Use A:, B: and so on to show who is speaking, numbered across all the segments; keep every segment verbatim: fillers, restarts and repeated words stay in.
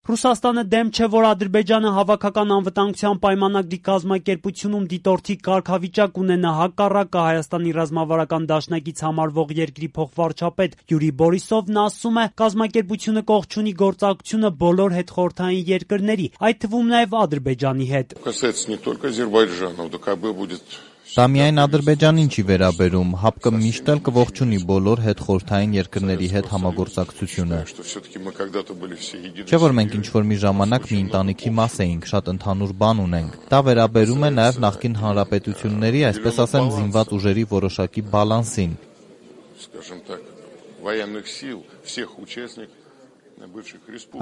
A: Ռուսաստանը դեմ չէ, որ Ադրբեջանը հավաքական անվտանգության պայմանագրի կազմակերպությունում դիտորդի կարգավիճակ ունենա, հակառակը Հայաստանի ռազմավարական դաշնակից համարվող երկրի փոխվարչապետ Յուրի Բորիսովն ասում է, կազմակերպությունը կողք չունի գործակցությունը բոլոր հետխորհրդային երկրների, այդ թվում նաև Ադրբեջանի հետ։
B: Դա միայն Ադրբեջանին չի վերաբերում, ՀԱՊԿ-ը միշտ էլ կողջունի բոլոր հետխորհրդային երկրների հետ համագործակցությունը։ Չէ՞ որ մենք ինչ-որ մի ժամանակ մի ընտանիքի մաս էինք, շատ ընդհանուր բան ունենք։ Դա վերաբերում է նաև նախկին հանրապետությունների, այսպես ասեմ, զինված ուժերի որոշակի բալանսին։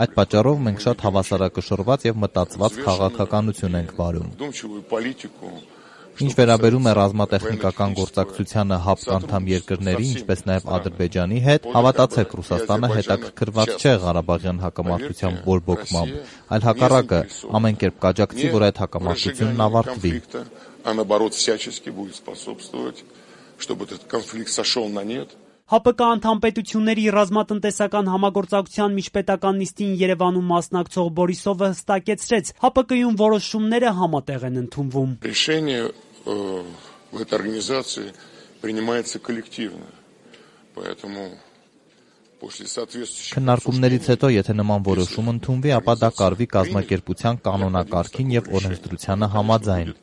B: Այդ պատճառով մենք շատ հավասարակշռված և մտածված քաղաքականություն ենք վարում։ Ինչ վերաբերում է ռազմատեխնիկական գործակցությանը ՀԱՊԿ անդամ երկրների, ինչպես նաև Ադրբեջանի հետ, հավատացեք, Ռուսաստանը հետաքրքրված չէ Ղարաբաղյան հակամարտության բորբոքմամբ, այլ հակառակը, ամեն կերպ կաջակցի, որ այդ հակամարտությունն ավարտվի։
A: ՀԱՊԿ անդամ պետությունների ռազմատնտեսական համագործակցության միջպետական նիստին Երևանում մասնակցող Բորիսովը հստակեցրեց, ՀԱՊԿ-ում որոշումները համատեղ են ընդունվում։
C: В этой организации принимается коллективно, поэтому после соответствующих...
B: Քննարկումներից հետո, եթե նման որոշում ընդունվի, ապա դա կարվի կազմակերպության կանոնակարգին և օրենսդրությանը համաձայն։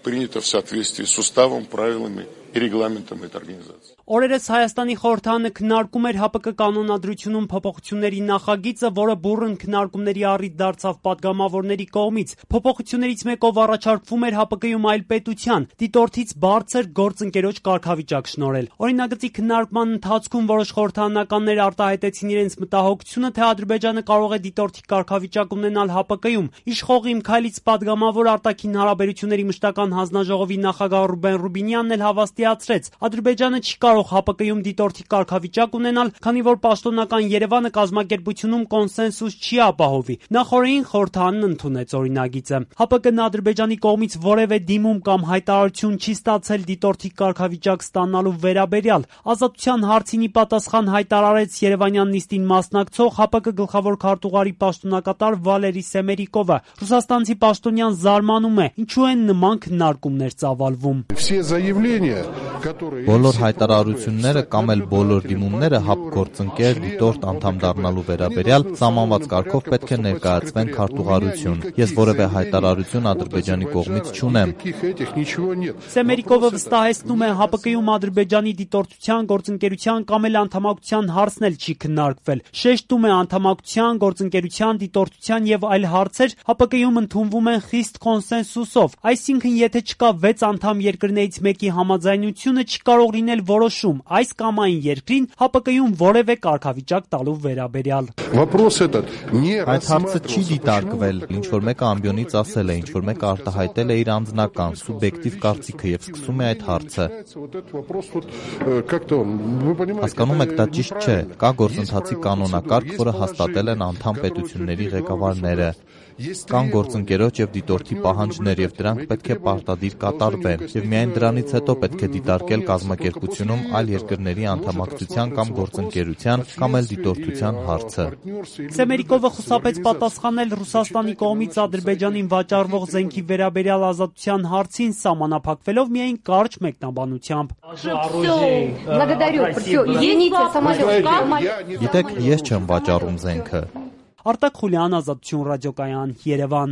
C: Принято в соответствии с уставом, правилами и регламентом этой организации.
A: Օրերս Հայաստանի խորհրդարանը քննարկում էր ՀԱՊԿ կանոնադրությունում փոփոխությունների նախագիծը, որը բուռն քննարկումների առիթ դարձավ падգամավորների կողմից։ Փոփոխություններից մեկով առաջարկվում էր ՀԱՊԿ-ում այլ պետության դիտորդից բարձր գործընկերոջ կարգավիճակ շնորհել։ Օրինագծի քննարկման ընթացքում որոշ խորհրդարանականներ արտահայտեցին իրենց մտահոգությունը, թե Ադրբեջանը կարող է դիտորդի կարգավիճակ ունենալ ՀԱՊԿ-ում։ Իշխող Իմ Քայլից падգամավոր արտաքին հարաբերությունների մշտական հանձնաժողովի նախագահ Ռուբեն Ռուբինյանն էլ հավաստիացրեց, Ադրբեջանը չի կարող ՀԱՊԿ-ում դիտորդի կարգավիճակ ունենալ, քանի որ պաշտոնական Երևանը կազմակերպությունում կոնսենսուս չի ապահովի։ Նախորդին խորհրդարանն ընդունեց օրինագիծը։ ՀԱՊԿ-ն Ադրբեջանի կողմից որևէ դիմում կամ հայտարարություն չի ստացել դիտորդի կարգավիճակ ստանալու վերաբերյալ։ Ազատության հարցին ի պատասխան հայտարարեց Երևանյան նիստին մասնակցող ՀԱՊԿ գլխավոր քարտուղարի պաշտոնակատար Վալերի Սեմերիկովը։ Ռուսաստանցի պաշտոնյան զարմանում է, ինչու են նման քննարկումներ ծավալվում։
B: Բոլոր հայտարարությունները կամ էլ բոլոր դիմումները ՀԱՊԿ գործընկեր դիտորդ անդամ դառնալու վերաբերյալ սահմանված կարգով պետք է ներկայացվեն քարտուղարություն։ Ես որևէ հայտարարություն Ադրբեջանի կողմից չունեմ։
A: Սեմերիկովը վստահեցնում է, ՀԱՊԿ-ում Ադրբեջանի դիտորդության, գործընկերության կամ էլ անդամակցության հարցն էլ չի քննարկվել։ Շեշտում է, անդամակցության, գործընկերության, դիտորդության եւ այլ հարցեր ՀԱՊԿ-ում ընդունվում են խիստ կոնսենսուսով։ Այսինքն, եթե չկա վեց անդամ երկրներից մեկի համաձայնությունը, չի կարող լինել որոշում այս կամ այն երկրին ՀԱՊԿ-ում որևէ կարգավիճակ տալու վերաբերյալ։
B: Այդ հարցը չի դիտարկվել, ինչ որ մեկը ամբիոնից ասել է, ինչ որ մեկը արտահայտել է իր անձնական, սուբյեկտիվ կարծիքը եւ սկսում է այդ հարցը։ Հասկանում եք, դա ճիշտ չէ, կա գործընթացի կանոնակարգ, որը հաստատել են անդամ պետությունների ղեկավարները։ Կան գործընկերոջ եւ դիտորդի պահանջներ եւ դրանք պետք է պարտադիր կատարվեն եւ միայն դրանից հետո պետք է դիտարկել կազմակերպությունում այլ երկրների անդամակցության կամ գործընկերության կամ էլ դիտորդության հարցը։
A: Սեմերիկովը խուսափեց պատասխանել Ռուսաստանի կողմից Ադրբեջանին վաճառվող զենքի վերաբերյալ ազատության հարցին, սահմանափակվելով միայն կարճ մեկնաբանությամբ։
B: Գիտեք, ես չեմ վաճառում զենքը։
A: Արտակ Խուլյան, Ազատություն ռադիոկայան, Երևան։